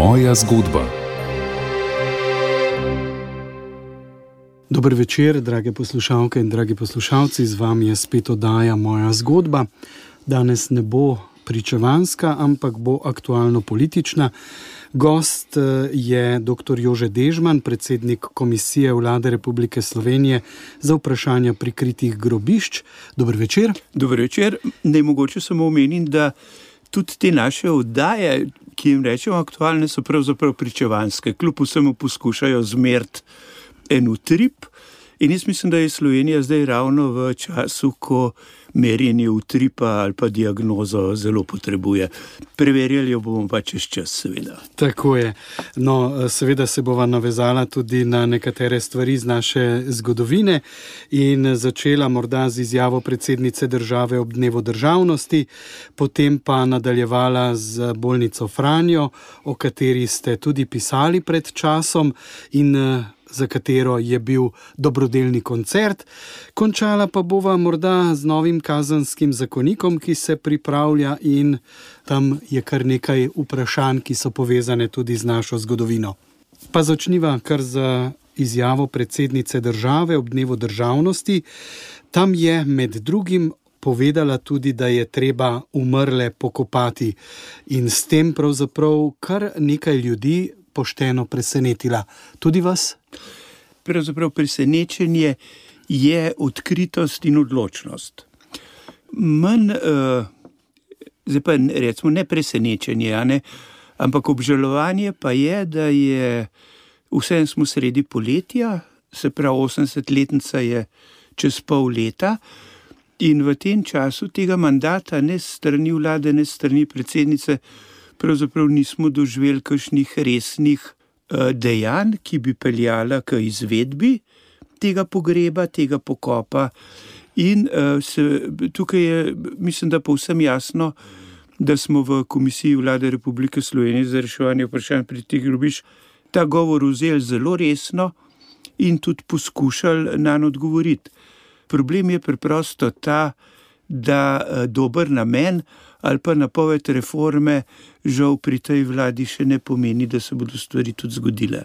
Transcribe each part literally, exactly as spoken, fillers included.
Moja zgodba. Dober večer, drage poslušalke in dragi poslušalci, z vami je spet oddaja Moja zgodba. Danes ne bo pričevanska, ampak bo aktualno-politična. Gost je doktor Jože Dežman, predsednik Komisije Vlade Republike Slovenije za vprašanja prikritih grobišč. Dober večer. Dober večer. Ne mogoče samo omenim, da tudi te naše oddaje, ki jim rečemo aktualne, so pravzaprav pričevanske. Kljub vsemu poskušajo zmeriti en utrip. In jaz mislim, da je Slovenija zdaj ravno v času, ko merjenje utripa ali pa diagnozo zelo potrebuje. Preverjali jo bomo pa čez čas, seveda. Tako je. No, seveda se bova navezala tudi na nekatere stvari z naše zgodovine in začela morda z izjavo predsednice države ob dnevu državnosti, potem pa nadaljevala z bolnico Franjo, o kateri ste tudi pisali pred časom in za katero je bil dobrodelni koncert. Končala pa bova morda z novim kazanskim zakonikom, ki se pripravlja, in tam je kar nekaj vprašanj, ki so povezane tudi z našo zgodovino. Pa začniva kar z izjavo predsednice države ob dnevu državnosti. Tam je med drugim povedala tudi, da je treba umrle pokopati, in s tem pravzaprav kar nekaj ljudi pošteno presenetila. Tudi vas? Pravzaprav presenečenje je odkritost in odločnost. Manj, uh, zdaj pa recimo ne presenečenje, a ne, ampak obžalovanje pa je, da je vsem smo sredi poletja, se pravi osemdesetletnica je čez pol leta, in v tem času tega mandata ne strani vlade, ne strani predsednice pravzaprav nismo doživeli kakšnih resnih uh, dejanj, ki bi peljala k izvedbi tega pogreba, tega pokopa. In uh, se, tukaj je, mislim, da povsem jasno, da smo v Komisiji Vlade Republike Slovenije za reševanje vprašanj prikritih grobišč ta govor vzeli zelo resno in tudi poskušali nanj odgovoriti. Problem je preprosto ta, da uh, dober namen ali pa napoved reforme žal pri tej vladi še ne pomeni, da se bodo stvari tudi zgodile.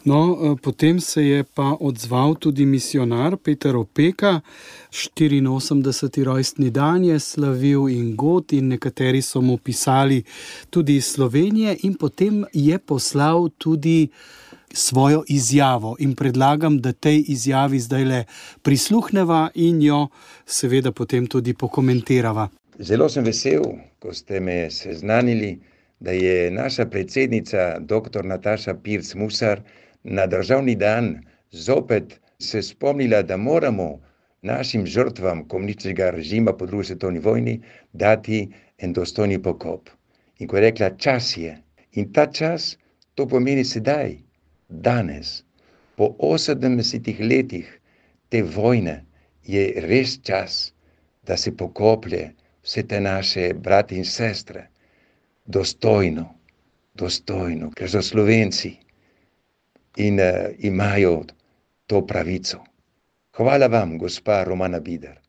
No, potem se je pa odzval tudi misijonar Peter Opeka. štiriinosemdeseti rojstni dan je slavil in god, in nekateri so mu pisali tudi iz Slovenije, in potem je poslal tudi svojo izjavo, in predlagam, da tej izjavi zdajle prisluhneva in jo seveda potem tudi pokomentirava. Zelo sem vesel, ko ste me seznanili, da je naša predsednica doktor Nataša Pirc Musar na državni dan zopet se spomnila, da moramo našim žrtvam komunističnega režima po drugi svetovni vojni dati en dostojni pokop. In ko je rekla, čas je. In ta čas, to pomeni sedaj, danes, po osemdesetih letih te vojne, je res čas, da se pokoplje vse te naše brate in sestre, dostojno, dostojno, ker so Slovenci in uh, imajo to pravico. Hvala vam, gospa Romana Bider,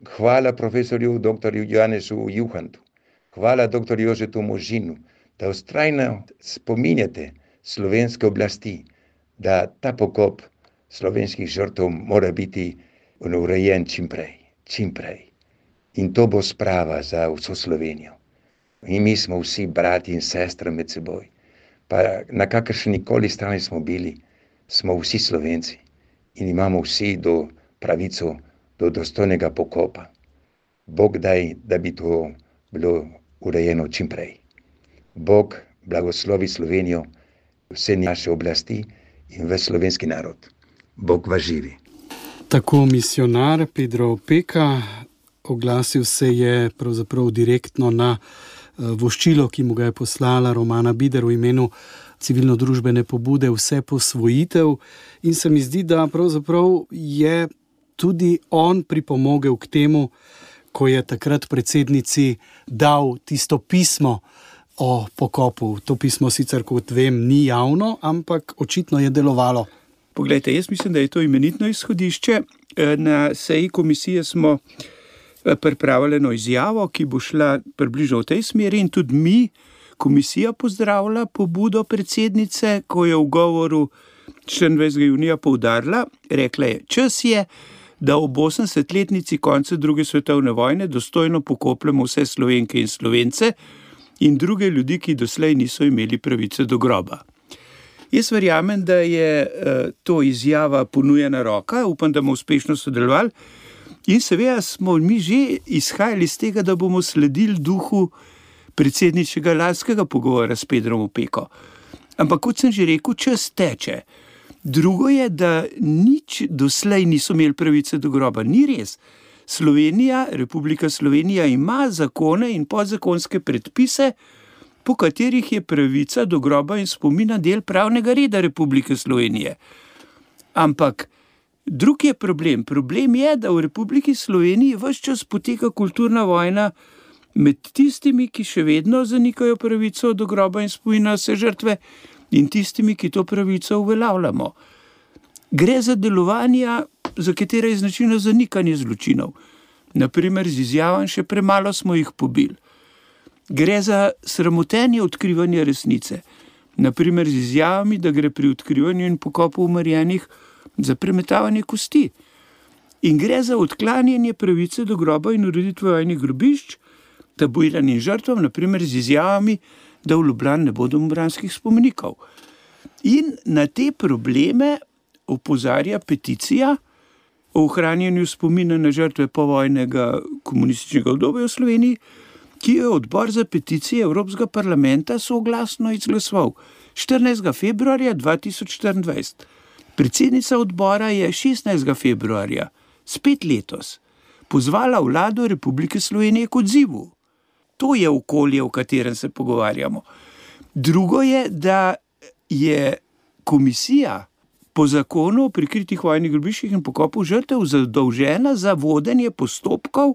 hvala profesorju doktorju Janezu Juhantu, hvala doktorju Jožetu Možinu, da vztrajno spominjate slovenske oblasti, da ta pokop slovenskih žrtev mora biti urejen čim prej, čim prej. In to bo sprava za vso Slovenijo. In mi smo vsi brati in sestre med seboj. Pa na kakršni koli strani smo bili, smo vsi Slovenci. In imamo vsi do pravico do dostojnega pokopa. Bog daj, da bi to bilo urejeno čim prej. Bog blagoslovi Slovenijo, vse naše oblasti in ves slovenski narod. Bog vas živi. Tako misijonar Pedro Opeka. Oglasil se je pravzaprav direktno na voščilo, ki mu ga je poslala Romana Bider v imenu civilno-družbene pobude Vse posvojitev, in se mi zdi, da pravzaprav je tudi on pripomogel k temu, ko je takrat predsednici dal tisto pismo o pokopu. To pismo sicer, kot vem, ni javno, ampak očitno je delovalo. Poglejte, jaz mislim, da je to imenitno izhodišče. Na seji komisije smo pripravili eno izjavo, ki bo šla približno v tej smeri, in tudi mi komisija pozdravila pobudo predsednice, ko je v govoru štiriindvajsetega junija poudarila, rekla je, čas je, da ob osemdesetletnici konca druge svetovne vojne dostojno pokopljamo vse Slovenke in Slovence in druge ljudi, ki doslej niso imeli pravice do groba. Jaz verjamem, da je to izjava ponujena roka, upam, da bomo uspešno sodelovali in seveda smo mi že izhajali iz tega, da bomo sledili duhu predsedničnega lanskega pogovora s Pedrom Opeko. Ampak kot sem že rekel, čas teče. Drugo je, da nič doslej niso imeli pravice do groba. Ni res. Slovenija, Republika Slovenija ima zakone in podzakonske predpise, po katerih je pravica do groba in spomina del pravnega reda Republike Slovenije. Ampak drug je problem. Problem je, da v Republiki Sloveniji ves čas poteka kulturna vojna med tistimi, ki še vedno zanikajo pravico do groba in spomina vse žrtve, in tistimi, ki to pravico uveljavljamo. Gre za delovanja, za katere je značilno zanikanje zločinov. Naprimer, z izjavam še premalo smo jih pobili. Gre za sramotenje odkrivanja resnice. Naprimer, z izjavami, da gre pri odkrivanju in pokopu umrjenih za premetavanje kosti. In gre za odklanjanje pravice do groba in ureditve vojnih grobišč, tabuiranim žrtvam, naprimer z izjavami, da v Ljubljani ne bodo memorialskih spomenikov. In na te probleme opozarja peticija o ohranjanju spomina na žrtve povojnega komunističnega obdobja v Sloveniji, ki jo je odbor za peticije Evropskega parlamenta soglasno izglasoval štirinajstega februarja dva tisoč štiriindvajset. Predsednica odbora je šestnajstega februarja, spet letos, pozvala vlado Republike Slovenije k odzivu. To je okolje, v katerem se pogovarjamo. Drugo je, da je komisija po zakonu o prikritih vojnih grobiščih in pokopu žrtev zadolžena za vodenje postopkov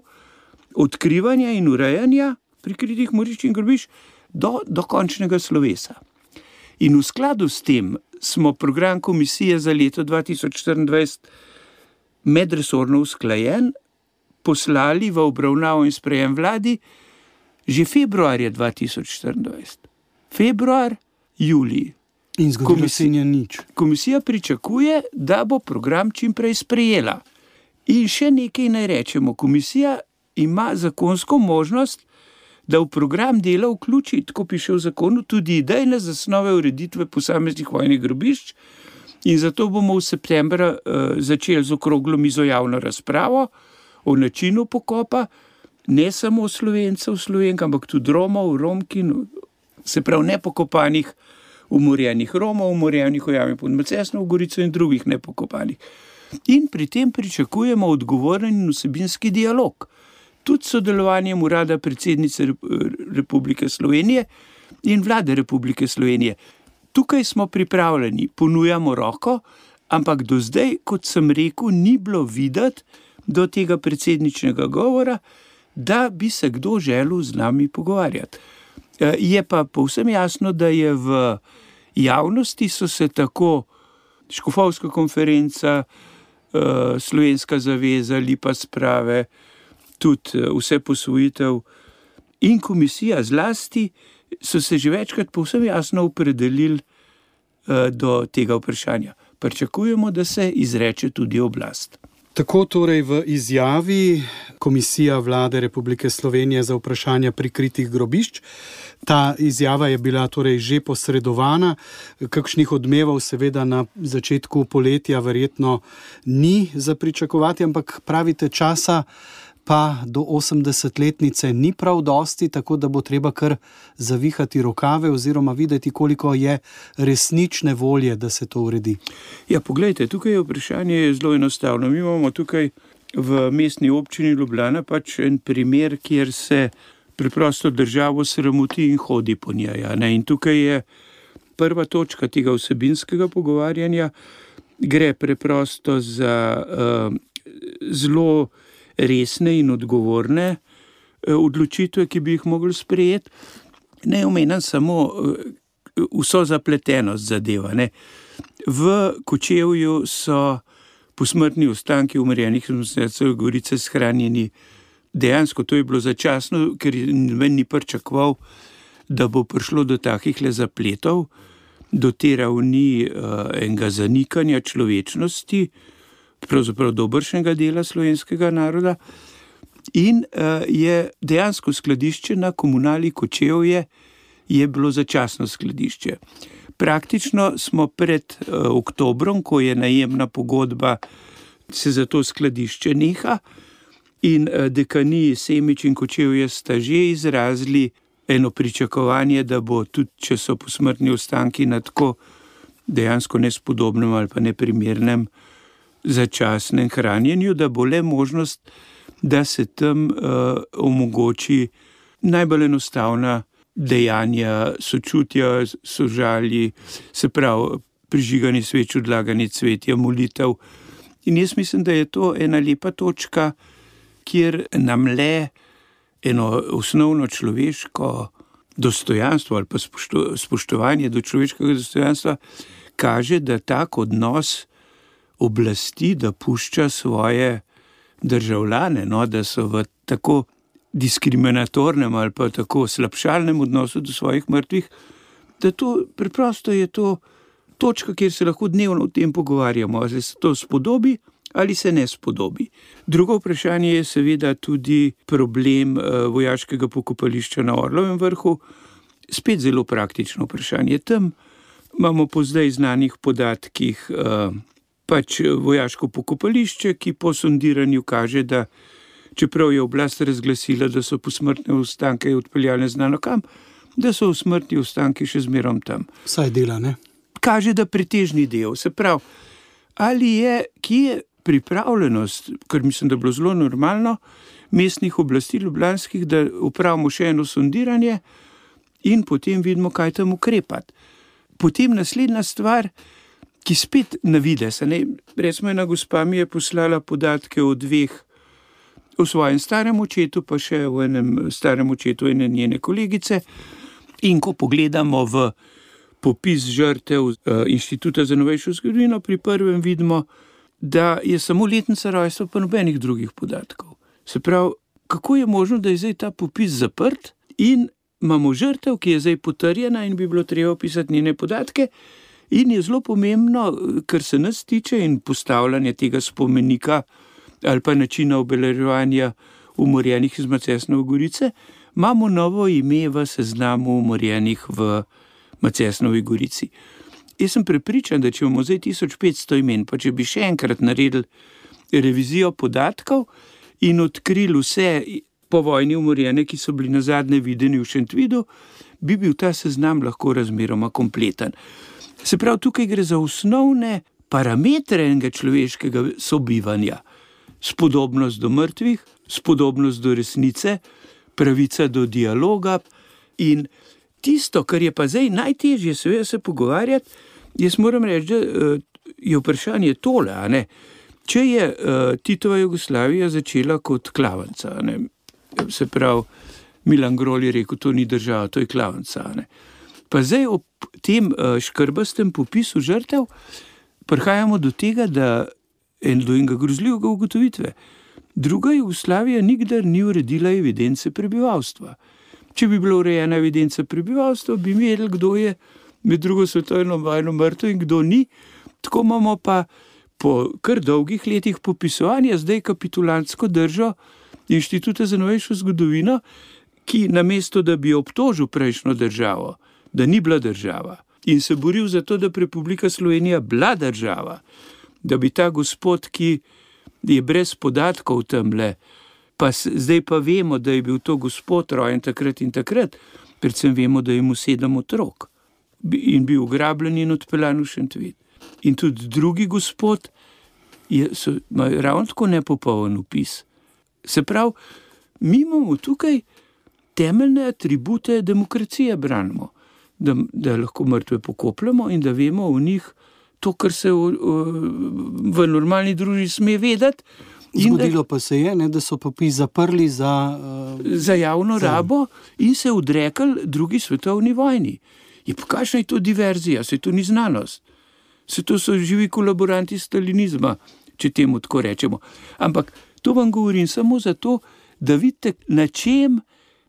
odkrivanja in urejanja prikritih morišč in grobišč do, do končnega slovesa. In v skladu s tem smo program komisije za leto dva tisoč štiriindvajset medresorno usklajen poslali v obravnavo in sprejem vladi že februarja dva tisoč štiriindvajset. Februar, julij. In zgodilo se je nič. Komisija pričakuje, da bo program čim prej sprejela. In še nekaj naj rečemo. Komisija ima zakonsko možnost, da v program dela vključi, tako piše v zakonu, tudi idejne zasnove ureditve posameznih vojnih grobišč. In zato bomo v septembra uh, začeli z okroglo mizo javno razpravo o načinu pokopa, ne samo Slovencev, Slovenk, ampak tudi Romov, Romkin, se pravi nepokopanih, umorjenih Romov, umorjenih v jami pod Macesno, v Gorico in drugih nepokopanih. In pri tem pričakujemo odgovoren in vsebinski dialog. Tudi sodelovanjem urada predsednice Republike Slovenije in vlade Republike Slovenije. Tukaj smo pripravljeni, ponujamo roko, ampak do zdaj, kot sem rekel, ni bilo videti do tega predsedničnega govora, da bi se kdo želel z nami pogovarjati. Je pa povsem jasno, da je v javnosti so se tako Škofovska konferenca, Slovenska zaveza, Lipa sprave, tudi vse posvojitev in komisija zlasti so se že večkrat povsem jasno opredelili do tega vprašanja. Pričakujemo, da se izreče tudi oblast. Tako torej v izjavi Komisija Vlade Republike Slovenije za vprašanja prikritih grobišč. Ta izjava je bila torej že posredovana, kakšnih odmevov seveda na začetku poletja verjetno ni za pričakovati, ampak pravite časa pa do osemdesetletnice ni prav dosti, tako da bo treba kar zavihati rokave oziroma videti, koliko je resnične volje, da se to uredi. Ja, poglejte, tukaj je vprašanje zelo enostavno. Mi imamo tukaj v mestni občini Ljubljana pač en primer, kjer se preprosto državo sramoti in hodi po njej. In tukaj je prva točka tega vsebinskega pogovarjanja, gre preprosto za uh, zelo resne in odgovorne odločitve, ki bi jih mogli sprejeti. Ne omenjam samo vso zapletenost zadeva. Ne. V Kočevju so posmrtni ostanki umrjenih v Gorice shranjeni. Dejansko to je bilo začasno, ker noben ni pričakoval, da bo prišlo do takih le zapletov, do te ravni uh, enega zanikanja človečnosti, pravzaprav dobršnega dela slovenskega naroda, in uh, je dejansko skladišče na komunali Kočevje je bilo začasno skladišče. Praktično smo pred uh, oktobrom, ko je najemna pogodba, se za to skladišče neha, in uh, dekaniji Semič in Kočevje sta že izrazili eno pričakovanje, da bo tudi, če so posmrtni ostanki na tako dejansko nespodobnem ali pa neprimernem začasnem hranjenju, da bo le možnost, da se tam uh, omogoči najbolj enostavna dejanja sočutja, sožalji, se pravi prižiganje sveč, odlaganje cvetja, molitev. In jaz mislim, da je to ena lepa točka, kjer nam le eno osnovno človeško dostojanstvo ali pa spošto, spoštovanje do človeškega dostojanstva kaže, da tak odnos oblasti, da pušča svoje državljane, no, da so v tako diskriminatornem ali pa tako slabšalnem odnosu do svojih mrtvih, da to preprosto je to točka, kjer se lahko dnevno o tem pogovarjamo, ali se to spodobi ali se ne spodobi. Drugo vprašanje je seveda tudi problem uh, vojaškega pokopališča na Orlovem vrhu, spet zelo praktično vprašanje. Tam imamo po zdaj znanih podatkih uh, pač vojaško pokopališče, ki po sondiranju kaže, da čeprav je oblast razglasila, da so posmrtne ostanke odpeljali znano kam, da so smrtni ostanki še zmerom tam. Saj dela, ne? Kaže, da pretežni del. Se pravi, ali je, kje je pripravljenost, ker mislim, da je bilo zelo normalno, mestnih oblasti ljubljanskih, da upravimo še eno sondiranje in potem vidimo, kaj tam ukrepati. Potem naslednja stvar, ki spet navide se, ne, recimo ena gospa mi je poslala podatke o dveh, o svojem starem očetu, pa še o enem starem očetu ene njene kolegice, in ko pogledamo v popis žrtev uh, Inštituta za novejšo zgodovino, pri prvem vidimo, da je samo letnica rojstva, pa nobenih drugih podatkov. Se pravi, kako je možno, da je zdaj ta popis zaprt in imamo žrtev, ki je zdaj potrjena in bi bilo treba opisati njene podatke, in je zelo pomembno, kar se nas tiče in postavljanje tega spomenika ali pa načina obeleževanja umorjenih iz Macesnove Gorice, imamo novo ime v seznamu umorjenih v Macesnovi Gorici. Jaz sem prepričan, da če imamo zdaj tisoč petsto imen, pa če bi še enkrat naredili revizijo podatkov in odkrili vse povojni umorjene, ki so bili nazadnje videni v Šentvidu, bi bil ta seznam lahko razmeroma kompleten. Se pravi, tukaj gre za osnovne parametre enega človeškega sobivanja. Spodobnost do mrtvih, spodobnost do resnice, pravica do dialoga in tisto, kar je pa zdaj najtežje seveda se pogovarjati, jaz moram reči, da je vprašanje tole, a ne? Če je uh, Titova Jugoslavija začela kot klavanca, a ne? Se pravi, Milan Grol je rekel, to ni država, to je klavanca, a ne? Pa zdaj ob tem uh, škrbastem popisu žrtev prihajamo do tega, da en do enega grozljivega ugotovitve. Druga Jugoslavija nikdar ni uredila evidence prebivalstva. Če bi bila urejena evidenca prebivalstva, bi vedeli, kdo je med drugo svetovno vojno mrtev in kdo ni. Tako imamo pa po kar dolgih letih popisovanja zdaj kapitulantsko držo Inštituta za novejšo zgodovino, ki namesto, da bi obtožil prejšnjo državo, da ni bila država in se boril za to, da bi Republika Slovenija bila država, da bi ta gospod, ki je brez podatkov tamle, pa zdaj pa vemo, da je bil to gospod rojen takrat in takrat, predvsem vemo, da je mu sedem otrok in bil ugrabljen in odpeljan v Šentvid. In tudi drugi gospod je, so, ima ravno tako nepopoln opis. Se pravi, mi imamo tukaj temeljne atribute demokracije branimo, da, da lahko mrtve pokopljamo in da vemo o njih to, kar se v, v normalni družbi sme vedeti. Zgodilo pa se je, ne, da so popis zaprli za, uh, za javno za... rabo in se odrekali drugi svetovni vojni. Je pa kakšna je to diverzija, se to ni znanost. Se to so živi kolaboranti stalinizma, če temu tako rečemo. Ampak to vam govorim samo zato, da vidite, na čem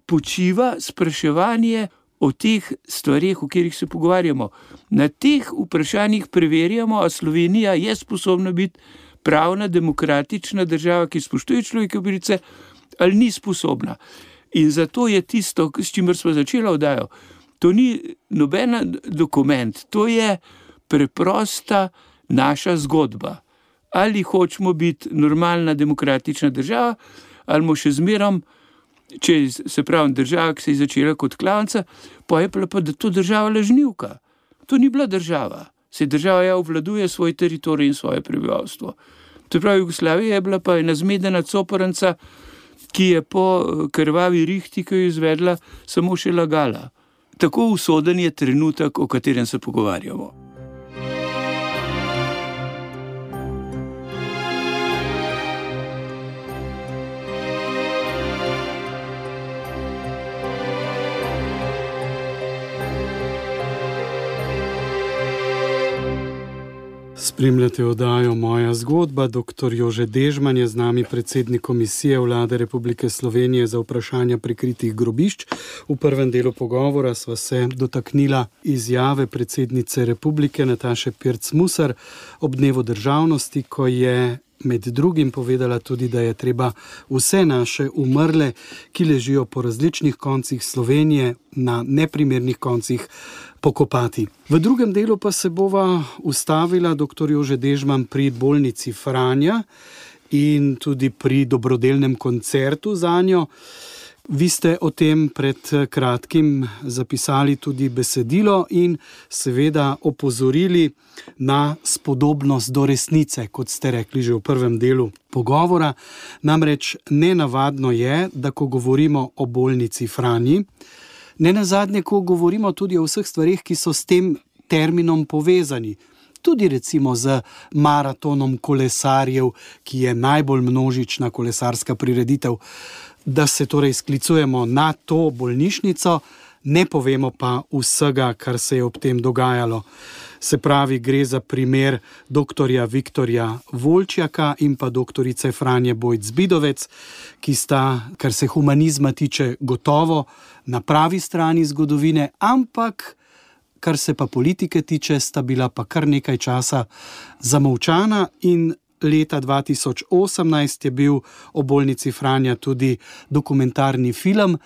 počiva spraševanje o teh stvarih, o katerih se pogovarjamo. Na teh vprašanjih preverjamo, a Slovenija je sposobna biti pravna, demokratična država, ki spoštuje človekove pravice, ali ni sposobna. In zato je tisto, s čimer smo začeli oddajo, to ni noben dokument, to je preprosta naša zgodba. Ali hočemo biti normalna demokratična država, ali mo še zmerom, če se pravi država, ki se je začela kot klavnica, pa je pa, da to država lažnivka. To ni bila država. Se država ja obvladuje svoj teritorij in svoje prebivalstvo. To pravi, Jugoslavija je bila pa ena zmedena coporanca, ki je po krvavi rihti, ki jo izvedla, samo še lagala. Tako usoden je trenutek, o katerem se pogovarjamo. Spremljate oddajo Moja zgodba. Doktor Jože Dežman je z nami, predsednik Komisije Vlade Republike Slovenije za vprašanja prikritih grobišč. V prvem delu pogovora sva se dotaknila izjave predsednice Republike Nataše Pirc Musar ob dnevu državnosti, ko je med drugim povedala tudi, da je treba vse naše umrle, ki ležijo po različnih koncih Slovenije, na neprimernih koncih, pokopati. V drugem delu pa se bova ustavila, doktor Jože Dežman, pri bolnici Franja in tudi pri dobrodelnem koncertu zanjo. Vi ste o tem pred kratkim zapisali tudi besedilo in seveda opozorili na spodobnost do resnice, kot ste rekli že v prvem delu pogovora. Namreč nenavadno je, da ko govorimo o bolnici Franji, nenazadnje, ko govorimo tudi o vseh stvarih, ki so s tem terminom povezani, tudi recimo z maratonom kolesarjev, ki je najbolj množična kolesarska prireditev, da se torej sklicujemo na to bolnišnico, ne povemo pa vsega, kar se je ob tem dogajalo. Se pravi, gre za primer doktorja Viktorja Volčjaka in pa doktorice Franje Bojc-Bidovec, ki sta, kar se humanizma tiče, gotovo na pravi strani zgodovine, ampak kar se pa politike tiče, sta bila pa kar nekaj časa zamolčana. In leta dva tisoč osemnajst je bil o bolnici Franja tudi dokumentarni film,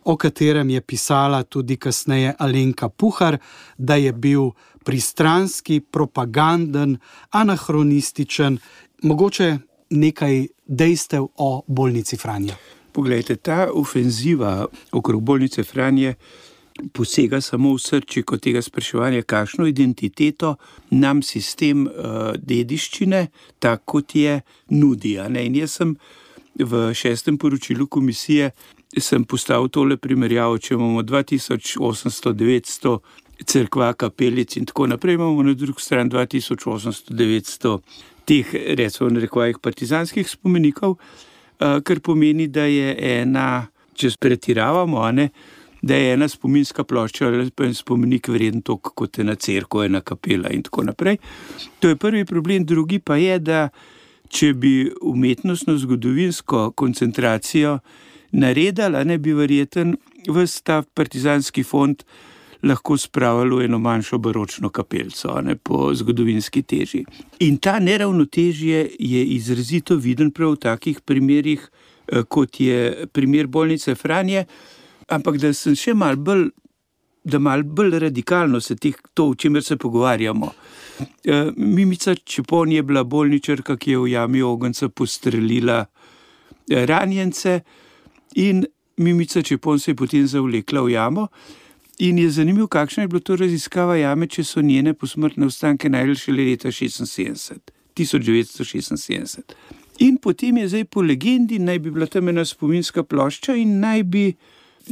o katerem je pisala tudi kasneje Alenka Puhar, da je bil pristranski, propaganden, anahronističen. Mogoče nekaj dejstev o bolnici Franja. Poglejte, ta ofenziva okrog bolnice Franje posega samo v srčiko tega spraševanja, kakšno identiteto nam sistem uh, dediščine, tako kot je, nudi. In jaz sem v šestem poročilu komisije sem postavil tole primerjavo, če imamo dva tisoč osemsto do devetsto cerkva, kapelic in tako naprej, imamo na drugi strani dva tisoč osemsto do devetsto teh, recimo na rekvajih, partizanskih spomenikov, uh, kar pomeni, da je ena, če pretiravamo, a ne, da je ena spominska plošča ali pa en spomenik vreden toliko kot ena cerkev, ena kapela in tako naprej. To je prvi problem. Drugi pa je, da če bi umetnostno zgodovinsko koncentracijo naredila, ne bi verjeten ves ta partizanski fond lahko spravilo eno manjšo baročno kapelco, ne, po zgodovinski teži. In ta neravnotežje je izrazito viden prav v takih primerih, kot je primer bolnice Franje. Ampak da sem še malo bolj, da malo bolj radikalno se teh, to, o čemer se pogovarjamo. E, Mimica Čepon je bila bolničarka, ki je v jami ogenca postrelila ranjence in Mimica Čepon se je potem zavlekla v jamo in je zanimivo, kakšna je bila to raziskava jame, če so njene posmrtne ostanke našli šele leta tisoč devetsto šestinsedemdeset. In potem je zdaj po legendi, naj bi bila tam ena spominska plošča in naj bi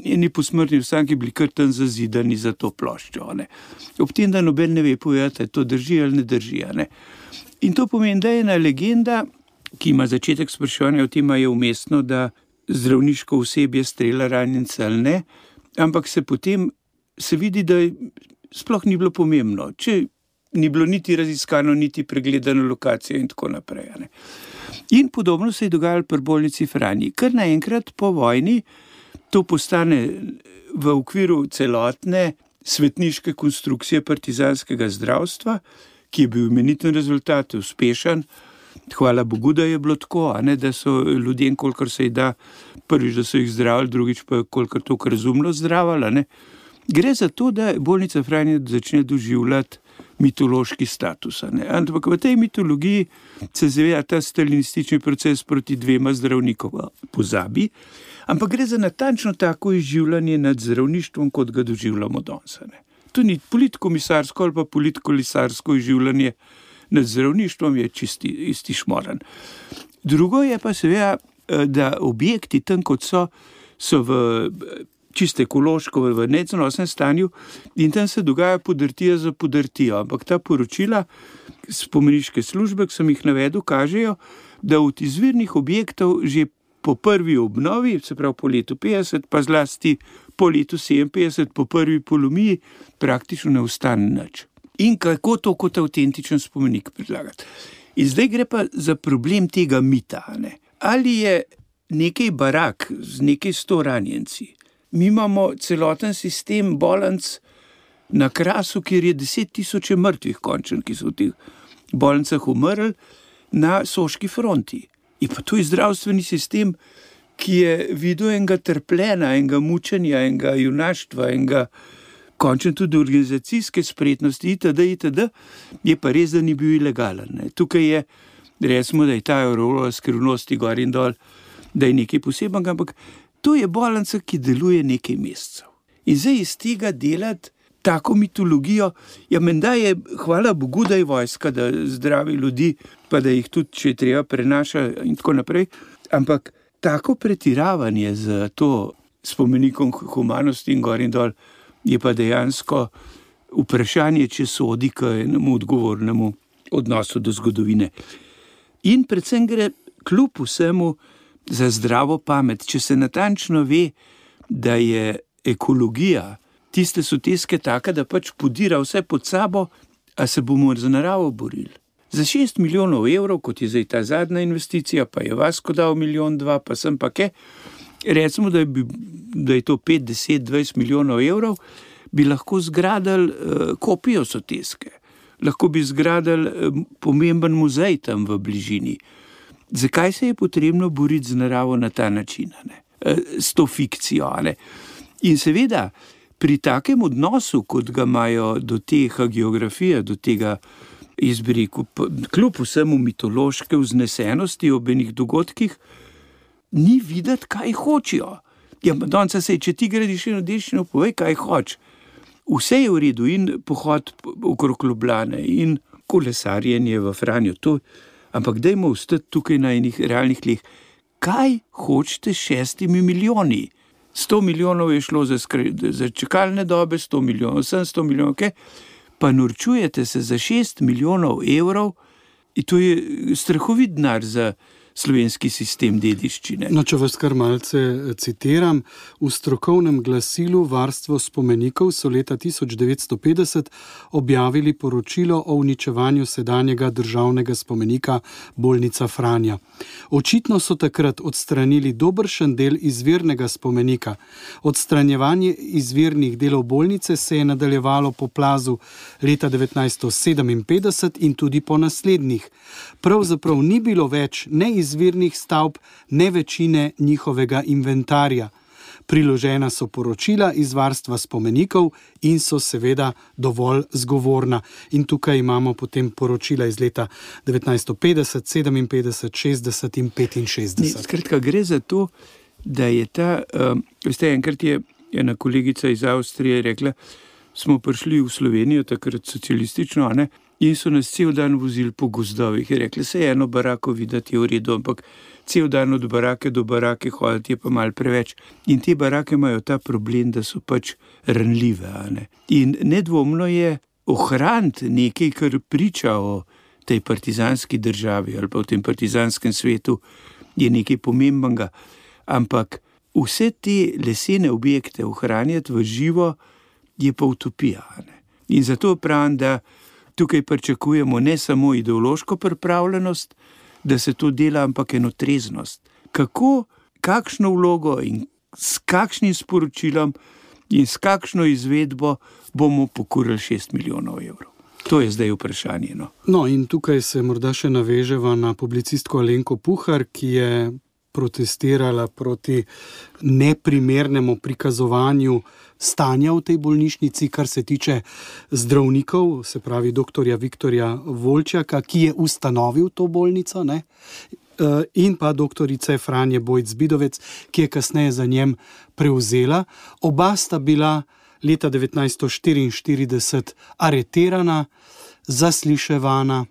njeni posmrtni ostanki bili kar tam zazidani za to ploščo. Ne. Ob tem, da noben ne ve povedati, to drži ali ne drži. Ne. In to pomeni, da je ena legenda, ki ima začetek spraševanja o tem, je umestno, da zdravniško osebje strela ranjence ali ne, ampak se potem se vidi, da sploh ni bilo pomembno, če ni bilo niti raziskano, niti pregledano lokacijo in tako naprej. Ne. In podobno se je dogajalo pri bolnici Franji. Kar naenkrat po vojni to postane v okviru celotne svetniške konstrukcije partizanskega zdravstva, ki je bil imeniten rezultat, uspešen. Hvala Bogu, da je bilo tako, a ne, da so ljudem, kolikor se jih da, prvič, da so jih zdravili, drugič pa kolikor toliko razumno zdravili, a ne. Gre za to, da bolnica Franja začne doživljati mitološki status, a ne. Ampak v tej mitologiji se zaveda ta stalinistični proces proti dvema zdravnikoma pozabi, ampak gre za natančno tako izživljanje nad zdravništvom, kot ga doživljamo danes, a ne. To ni politkomisarsko ali pa politkolisarsko izživljanje nad zdravništvom, je čisti isti šmoran. Drugo je pa seveda, da objekti tam, kot so, so v čisto ekološko, v neznosnem stanju in tam se dogaja podrtija za podrtijo. Ampak ta poročila spomeniške službe, ki sem jih navedel, kažejo, da od izvirnih objektov že po prvi obnovi, se pravi po letu petdeset, pa zlasti po letu sedeminpetdeset, po prvi polomiji, praktično ne ostane nič. In kako to kot avtentičen spomenik predlagati. In zdaj gre pa za problem tega mita, ne? Ali je nekaj barak z nekaj sto ranjenci. Mi imamo celoten sistem bolnic na Krasu, kjer je deset tisoče mrtvih končen, ki so v teh bolnicah umrli na soški fronti. In pa to je zdravstveni sistem, ki je videl enega trpljenja, enega mučenja, enega junaštva, enega končno tudi organizacijske spretnosti itd. itd. Je pa res, da ni bil ilegalen. Ne. Tukaj je, recimo, da je ta aurora skrivnosti gor in dol, da je nekaj posebnega, ampak to je bolnica, ki deluje nekaj mesecev. In zdaj iz tega delati tako mitologijo, ja, menda je, hvala Bogu, da je vojska, da zdravi ljudi, pa da jih tudi, če treba, prenaša in tako naprej, ampak tako pretiravanje z to spomenikom humanosti in gor in dol je pa dejansko vprašanje, če sodi k enemu odgovornemu odnosu do zgodovine. In predvsem gre kljub vsemu za zdravo pamet, če se natančno ve, da je ekologija tiste soteske taka, da pač podira vse pod sabo, a se bomo za naravo borili. Za šest milijonov evrov, kot je zdaj ta zadnja investicija, pa je Vasko dal milijon dva, pa sem pa ke, recimo, da je, da je to pet, deset, dvajset milijonov evrov, bi lahko zgradili uh, kopijo soteske. Lahko bi zgradili uh, pomemben muzej tam v bližini. Zakaj se je potrebno boriti z naravo na ta način, ne? Uh, s to fikcijo, ne? In seveda, pri takem odnosu, kot ga imajo do tega geografije, do tega izbreku, kljub vsemu mitološke vznesenosti ob enih dogodkih, ni videti, kaj hočijo. Ja, danes se, če ti gradiš eno dediščino, povej, kaj hoč. Vse je v redu, in pohod okrog Ljubljane, in kolesarjenje v Franjo, to, ampak dajmo ostati tukaj na enih realnih tleh. Kaj hočete s šestimi milijoni? Sto milijonov je šlo za, skre, za čakalne dobe, sto milijonov, sedemsto milijonov, okay? Pa norčujete se za šest milijonov evrov in to je strahovit denar za slovenski sistem dediščine. No, če vas kar malce citiram, v strokovnem glasilu Varstvo spomenikov so leta tisoč devetsto petdeset objavili poročilo o uničevanju sedanjega državnega spomenika bolnica Franja. Očitno so takrat odstranili dobršen del izvirnega spomenika. Odstranjevanje izvirnih delov bolnice se je nadaljevalo po plazu leta devetnajststo sedeminpetdeset in tudi po naslednjih. Pravzaprav ni bilo več ne izvirnih stavb, ne večine njihovega inventarja. Priložena so poročila iz Varstva spomenikov in so seveda dovolj zgovorna. In tukaj imamo potem poročila iz leta devetnajststo petdeset, sedeminpetdeset, šestdeset in petinšestdeset. Skratka, gre za to, da je ta, um, veste, enkrat je ena kolegica iz Avstrije rekla, smo prišli v Slovenijo, takrat socialistično, a ne, in so nas cel dan vozili po gozdovih. Je rekla, se eno barako videti je v redu, ampak cel dan od barake do barake hoditi je pa malo preveč. In te barake imajo ta problem, da so pač ranljive, a ne. In nedvomno je ohraniti nekaj, kar priča o tej partizanski državi ali pa v tem partizanskem svetu, je nekaj pomembnega. Ampak vse te lesene objekte ohranjati v živo je pa utopija, a ne. In zato pravim, da tukaj pričakujemo ne samo ideološko pripravljenost, da se to dela, ampak eno treznost. Kako, kakšno vlogo in s kakšnim sporočilom in s kakšno izvedbo bomo pokurili šest milijonov evrov. To je zdaj vprašanje. No. No, in tukaj se morda še naveževa na publicistko Alenko Puhar, ki je protestirala proti neprimernemu prikazovanju stanja v tej bolnišnici, kar se tiče zdravnikov, se pravi doktorja Viktorja Volčjaka, ki je ustanovil to bolnico, ne? In pa doktorice Franje Bojc-Zbidovec, ki je kasneje za njem prevzela. Oba sta bila leta devetnajststo štiriinštirideset aretirana, zasliševana.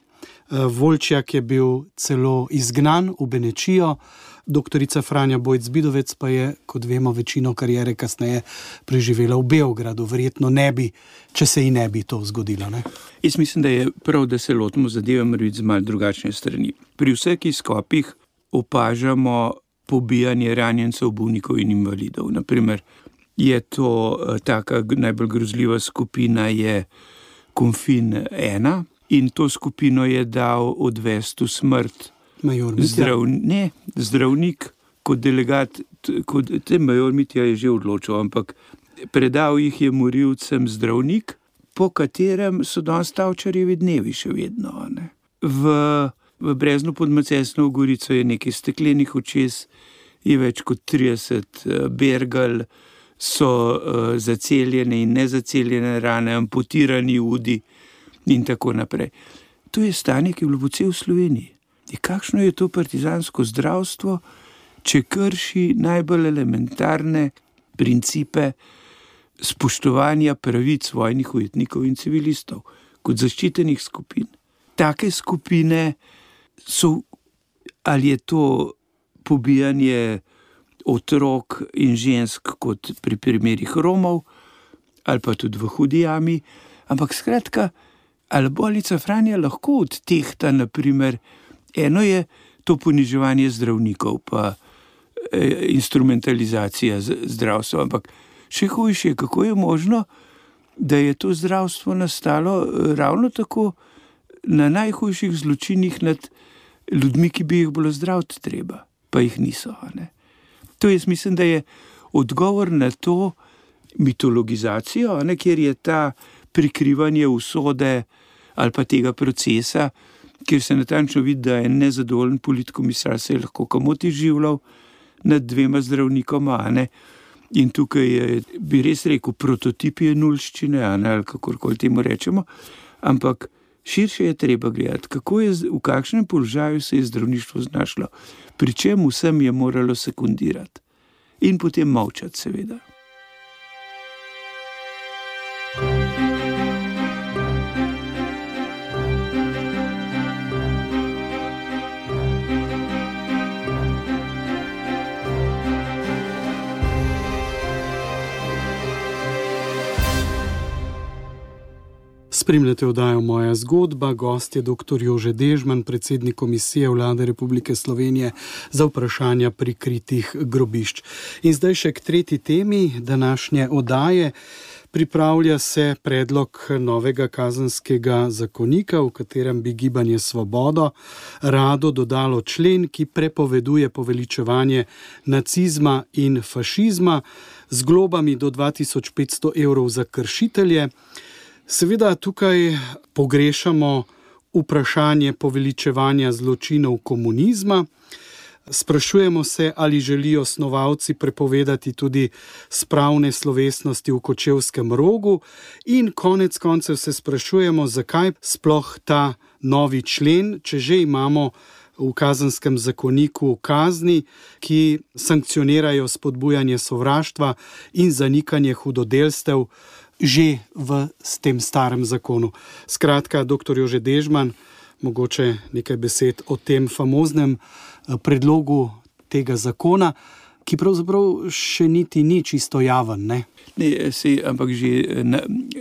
Volčjak je bil celo izgnan v Benečijo, doktorica Franja Bojc-Zbidovec pa je, kot vemo, večino kariere kasneje preživela v Beogradu. Verjetno ne bi, če se ji ne bi to zgodilo. Ne? Jaz mislim, da je prav, da se lotimo zadeve morebiti z malo drugačne strani. Pri vseh izkopih opažamo pobijanje ranjencev, bolnikov in invalidov. Naprimer, je to taka najbolj grozljiva skupina je Konfin ena in to skupino je dal odvesti v smrt Major Mitja. Zdrav, ne, zdravnik kot delegat, kot, te major Mitja je že odločil, ampak predal jih je morilcem zdravnik, po katerem so danes Tavčarjevi dnevi še vedno. Ne. V, v Breznu pod Macesnovo Gorico je nekaj steklenih očes, je več kot trideset bergal, so uh, zaceljene in nezaceljene rane, amputirani udi in tako naprej. To je stanje, ki je bilo po cel Sloveniji. In kakšno je to partizansko zdravstvo, če krši najbolj elementarne principe spoštovanja pravic vojnih ujetnikov in civilistov kot zaščitenih skupin. Take skupine so, ali je to pobijanje otrok in žensk kot pri primerih Romov, ali pa tudi v Hudi jami, ampak skratka, ali bolnica Franja lahko odtehta, naprimer, eno je to poniževanje zdravnikov, pa e, instrumentalizacija zdravstva, ampak še hujše je, kako je možno, da je to zdravstvo nastalo ravno tako na najhujših zločinih nad ljudmi, ki bi jih bilo zdraviti treba, pa jih niso. Ne? To jaz mislim, da je odgovor na to mitologizacijo, ne, kjer je ta prikrivanje usode ali pa tega procesa, kjer se natančno vidi, da je nezadovoljen politkomisar se je lahko komoti življal nad dvema zdravnikoma, ne. In tukaj je, bi res rekel, prototip je nulščine, ne, ali kakorkoli temu rečemo, ampak širše je treba gledati, kako je, v kakšnem položaju se je zdravništvo znašlo, pri čem vsem je moralo sekundirati in potem molčati, seveda. Spremljate oddajo Moja zgodba, gost je doktor Jože Dežman, predsednik Komisije Vlade Republike Slovenije za vprašanja prikritih grobišč. In zdaj še k tretji temi današnje oddaje. Pripravlja se predlog novega kazenskega zakonika, v katerem bi Gibanje Svobodo rado dodalo člen, ki prepoveduje poveličevanje nacizma in fašizma z globami do dva tisoč petsto evrov za kršitelje. Seveda tukaj pogrešamo vprašanje poveličevanja zločinov komunizma. Sprašujemo se, ali želijo snovalci prepovedati tudi spravne slovesnosti v Kočevskem rogu in konec koncev se sprašujemo, zakaj sploh ta novi člen, če že imamo v kazenskem zakoniku kazni, ki sankcionirajo spodbujanje sovraštva in zanikanje hudodelstev že v tem starem zakonu. Skratka, doktor Jože Dežman, mogoče nekaj besed o tem famoznem predlogu tega zakona, ki pravzaprav še niti ni čisto javen, ne? Ne, se, ampak že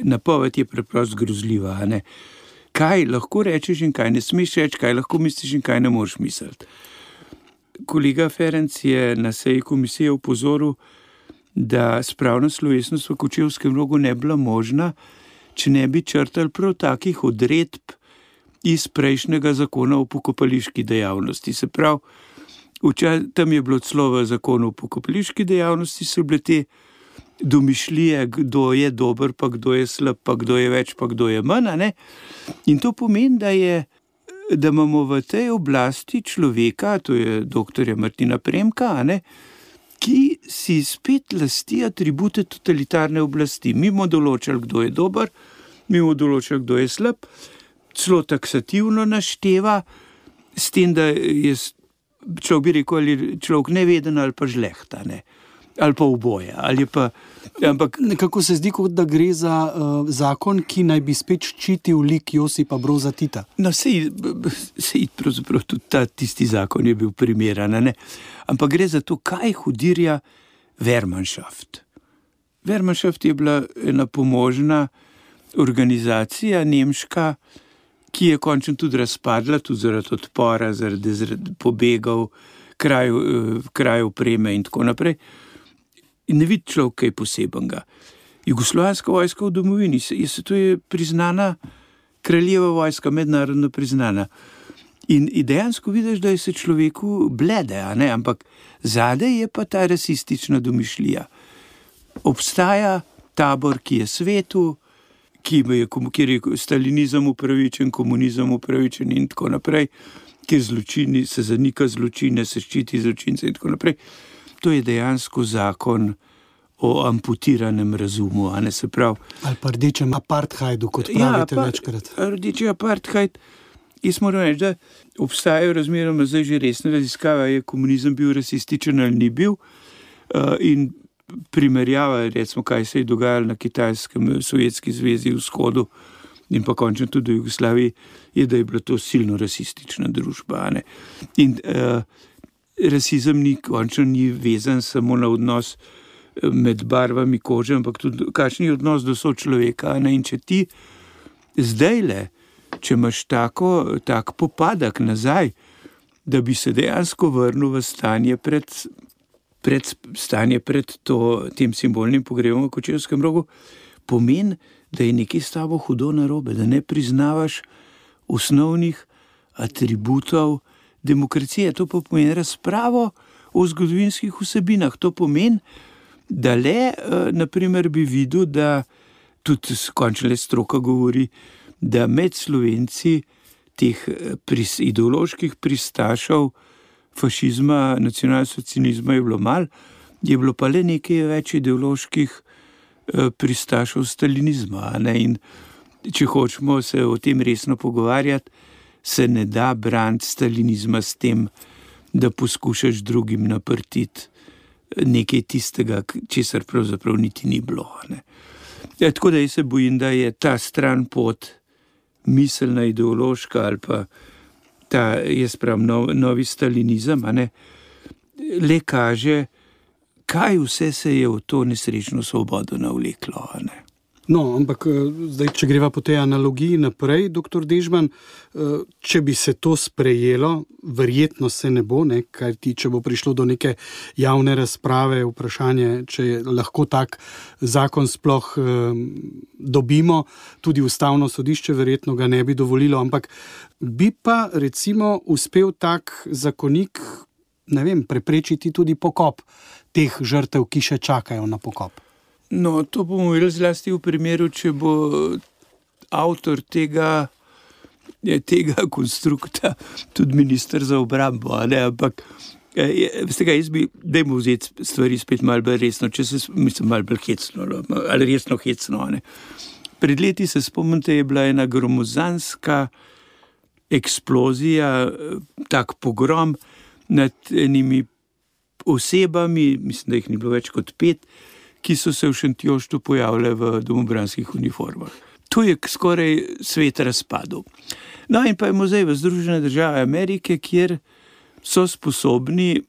napoved je preprosto grozljiva, ne? Kaj lahko rečeš in kaj ne smeš reči, kaj lahko misliš in kaj ne moreš misliti. Kolega Ferenc je na seji komisije upozoril, da spravna slovesnost v Kočevskem rogu ne bila možna, če ne bi črtali prav takih odredb iz prejšnjega zakona o pokopališki dejavnosti. Se pravi, Včas, tam je bilo celo v zakonu o pokopališki dejavnosti, so bile te domišljije, kdo je dober, pa kdo je slab, pa kdo je več, pa kdo je manj. Ne? In to pomeni, da, je, da imamo v tej oblasti človeka, to je doktorja Martina Premka, ne? Ki si spet lasti atribute totalitarne oblasti. Mi bomo določali, kdo je dober, mi bomo določali, kdo je slab, celo taksativno našteva, s tem, da je človek bi rekel, ali človek neveden ali pa žlehta, ne? Ali pa oboje. Ali pa, ampak nekako se zdi, kot da gre za uh, zakon, ki naj bi spet ščitil lik Josipa Broza Tita. No, sej, sej pravzaprav tudi ta tisti zakon je bil primeren, ne? Ampak gre za to, kaj hudirja Wehrmannschaft. Wehrmannschaft je bila ena pomožna organizacija nemška, ki je končno tudi razpadla, tudi zaradi odpora, zaradi, zaradi pobegov, kraju, kraju opreme in tako naprej. In ne vidi človek kaj posebenega. Jugoslovanska vojska v domovini, je, to je priznana kraljeva vojska, mednarodno priznana. In, in dejansko vidiš, da je se človeku blede, a ne? Ampak zadaj je pa ta rasistična domišljija. Obstaja tabor, ki je svetu, ki je, kjer je stalinizem upravičen, komunizem upravičen in tako naprej, kjer zločini, se zanika zločine, se ščiti zločince in tako naprej. To je dejansko zakon o amputiranem razumu, a ne, se pravi. Ali pa rdečem apartheidu, kot pravite ja, večkrat. Rdeči apartheid. Jaz moram reči, da obstajajo razmeroma zdaj že resne raziskave, je komunizem bil rasističen ali ni bil, in primerjava, recimo, kaj se je dogajalo na Kitajskem, Sovjetski zvezi, vzhodu in pa končno tudi v Jugoslaviji, je, da je bila to silno rasistična družba. Ne? In uh, rasizem ni končno ni vezan samo na odnos med barvami kože, ampak tudi kakšen je odnos do sočloveka. Ne? In če ti zdajle, če imaš tako, tak popadek nazaj, da bi se dejansko vrnil v stanje pred pred stanje pred to, tem simbolnim pogrebom v Kočevskem rogu, pomeni, da je nekaj s tabo hudo narobe, da ne priznavaš osnovnih atributov demokracije. To pa pomeni razpravo o zgodovinskih vsebinah. To pomeni, da le, naprimer, bi videl, da tudi končno le stroka govori, da med Slovenci teh pris, ideoloških pristašov fašizma, nacionalsocializma je bilo malo, je bilo pa le nekaj več ideoloških eh, pristašov stalinizma. Ne? In če hočemo se o tem resno pogovarjati, se ne da braniti stalinizma s tem, da poskušaš drugim naprtiti nekaj tistega, česar pravzaprav niti ni bilo. Ne? Ja, tako da jaz se bojim, da je ta stran pot miselna, ideološka ali pa ta, jaz pravim, nov, novi stalinizem, a ne, le kaže, kaj vse se je v to nesrečno svobodo navleklo, a ne. No, ampak zdaj, če greva po tej analogiji naprej, doktor Dežman, če bi se to sprejelo, verjetno se ne bo, ne, kaj ti, če bo prišlo do neke javne razprave, vprašanje, če lahko tak zakon sploh eh, dobimo, tudi ustavno sodišče verjetno ga ne bi dovolilo, ampak bi pa recimo uspel tak zakonik, ne vem, preprečiti tudi pokop teh žrtev, ki še čakajo na pokop. No, to bomo videli zlasti v primeru, če bo avtor tega, tega konstrukta tudi minister za obrambo, a ne, ampak veste kaj, jaz bi, dajmo vzeti stvari spet malo bolj resno, če se, mislim, malo bolj hecno, ali resno hecno, a ne. Pred leti se spomnite, je bila ena gromozanska eksplozija, tak pogrom nad enimi osebami, mislim, da jih ni bilo več kot pet, ki so se v Šentjoštu pojavile v domobranskih uniformah. Tu je skoraj svet razpadel. No in pa je muzej v Združene države Amerike, kjer so sposobni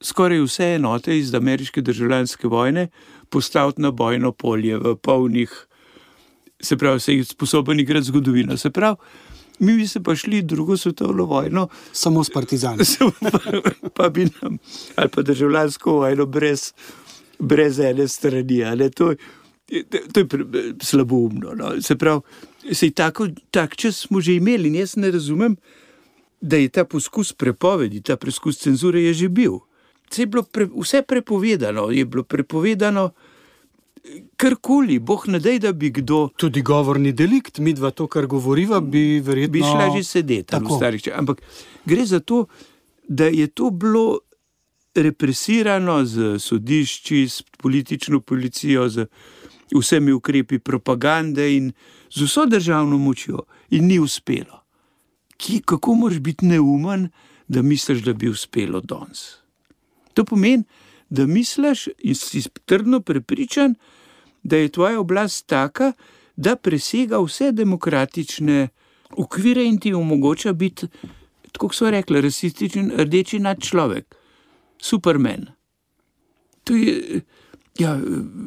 skoraj vse enote iz ameriške državljanske vojne postaviti na bojno polje v polnih, se pravi, se jih sposoben igrati zgodovino. Se pravi, mi bi se pa šli drugo svetovno vojno samo s partizani. pa, pa bi nam, ali pa državljansko vojno brez brez ene strani, ali to, to je slaboumno. No. Se pravi, sej tako, tak čas smo že imeli in jaz ne razumem, da je ta poskus prepovedi, ta poskus cenzure je že bil. Vse je bilo pre, vse prepovedano, je bilo prepovedano karkoli, boh ne dej, da bi kdo... Tudi govorni delikt, mi dva to, kar govoriva, bi verjetno... Bi šla že sedeti v starih časih. Ampak gre za to, da je to bilo represirano z sodišči, s politično policijo, z vsemi ukrepi propagande in z vso državno močjo. In ni uspelo. Ki, kako moraš biti neumen, da misliš, da bi uspelo danes? To pomeni, da misliš in si trdno prepričan, da je tvoja oblast taka, da presega vse demokratične okvire in ti omogoča biti, tako so rekli, rasističen rdeči nadčlovek, Superman. To je ja,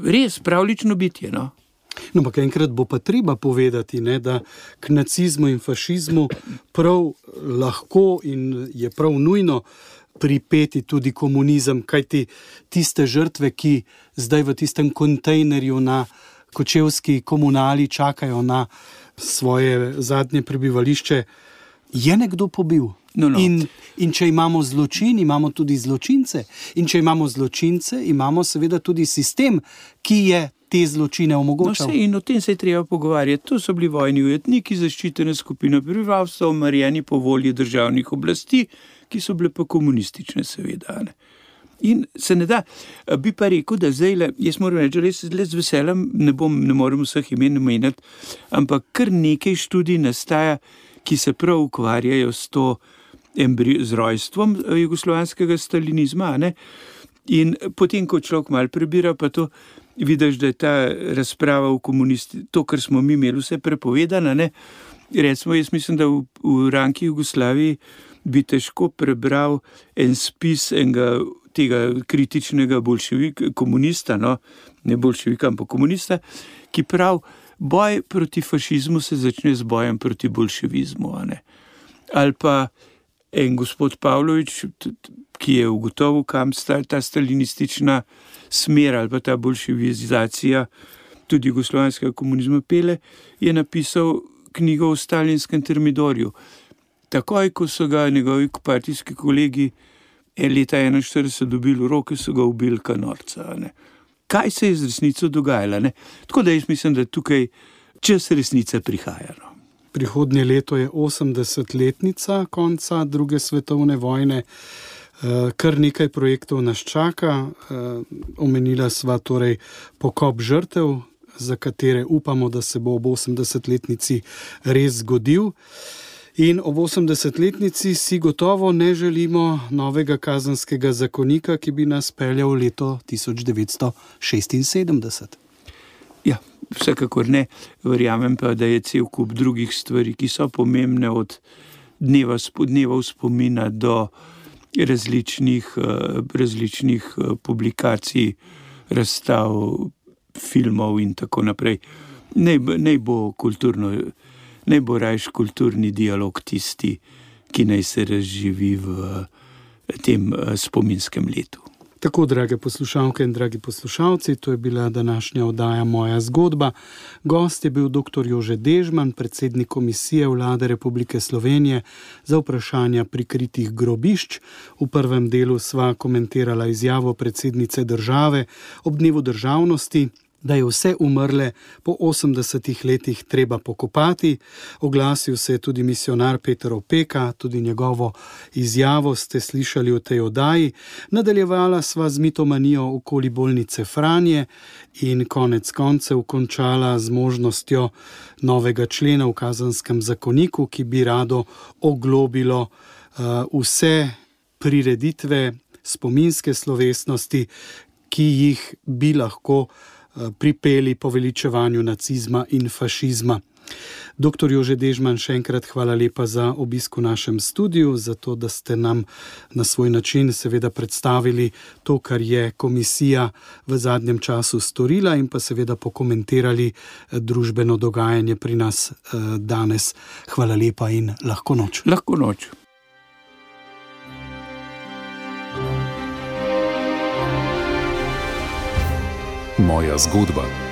res pravlično bitje, no. No, ampak enkrat bo pa treba povedati, ne, da k nacizmu in fašizmu prav lahko in je prav nujno pripeti tudi komunizem, kajti tiste žrtve, ki zdaj v tistem kontejnerju na kočevski komunali čakajo na svoje zadnje prebivališče, je nekdo pobil. No, no. In, in če imamo zločin, imamo tudi zločince. In če imamo zločince, imamo seveda tudi sistem, ki je te zločine omogočal. No, se, in o tem se je treba pogovarjati. To so bili vojni ujetniki, zaščitene skupine prebivalstva, umorjeni po volji državnih oblasti, ki so bile pa komunistične, seveda. Ne. In se ne da, bi pa rekel, da zdaj, jaz moram reči, res z veseljem, ne, bom, ne morem vseh imen omenjati, ampak kar nekaj študij nastaja, ki se prav ukvarjajo s to embri, z rojstvom jugoslovanskega stalinizma. Ne. In potem, ko človek malo prebira, pa to vidiš, da je ta razprava v komunisti, to, kar smo mi imeli vse prepovedano, ne. Recimo, jaz mislim, da v, v ranki Jugoslaviji bi težko prebral en spis enega tega kritičnega bolševika, komunista, no, ne bolševika, ampak komunista, ki pravi, boj proti fašizmu se začne z bojem proti bolševizmu. Ne. Ali pa en gospod Pavlović, ki je ugotovil, kam sta ta stalinistična smer ali pa ta bolševizacija tudi jugoslovanskega komunizma pele, je napisal knjigo o stalinskem termidorju. Takoj, ko so ga njegovi partijski kolegi leta enainštirideset dobili v roke, so ga ubili ka norca. Ne. Kaj se je z resnico dogajalo? Ne? Tako da jaz mislim, da tukaj čas resnice prihaja. No. Prihodnje leto je osemdesetletnica konca druge svetovne vojne. Kar nekaj projektov nas čaka. Omenila sva torej pokop žrtev, za katere upamo, da se bo ob osemdesetletnici res zgodil. In ob osemdesetletnici si gotovo ne želimo novega kazenskega zakonika, ki bi nas peljal v leto tisoč devetsto šestinsedemdeset. Ja, vsekakor ne. Verjamem pa, da je cel kup drugih stvari, ki so pomembne od dneva, dneva spomina do različnih, različnih publikacij, razstav, filmov in tako naprej. Naj, naj bo kulturno, naj bo rajš kulturni dialog tisti, ki naj se razživi v tem spominskem letu. Tako, drage poslušalke in dragi poslušalci, to je bila današnja oddaja Moja zgodba. Gost je bil doktor Jože Dežman, predsednik Komisije Vlade Republike Slovenije za vprašanja prikritih grobišč. V prvem delu sva komentirala izjavo predsednice države ob dnevu državnosti, da je vse umrle po osemdesetih letih treba pokopati. Oglasil se je tudi misionar Peter Opeka, tudi njegovo izjavo ste slišali v tej oddaji. Nadaljevala sva z mitomanijo okoli bolnice Franje in konec koncev končala z možnostjo novega člena v kazenskem zakoniku, ki bi rado oglobilo uh, vse prireditve, spominske slovesnosti, ki jih bi lahko pripeli poveličevanju nacizma in fašizma. Doktor Jože Dežman, še enkrat hvala lepa za obisk v našem studiu, za to, da ste nam na svoj način seveda predstavili to, kar je komisija v zadnjem času storila in pa seveda pokomentirali družbeno dogajanje pri nas danes. Hvala lepa in lahko noč. Lahko noč. Moja zgodba.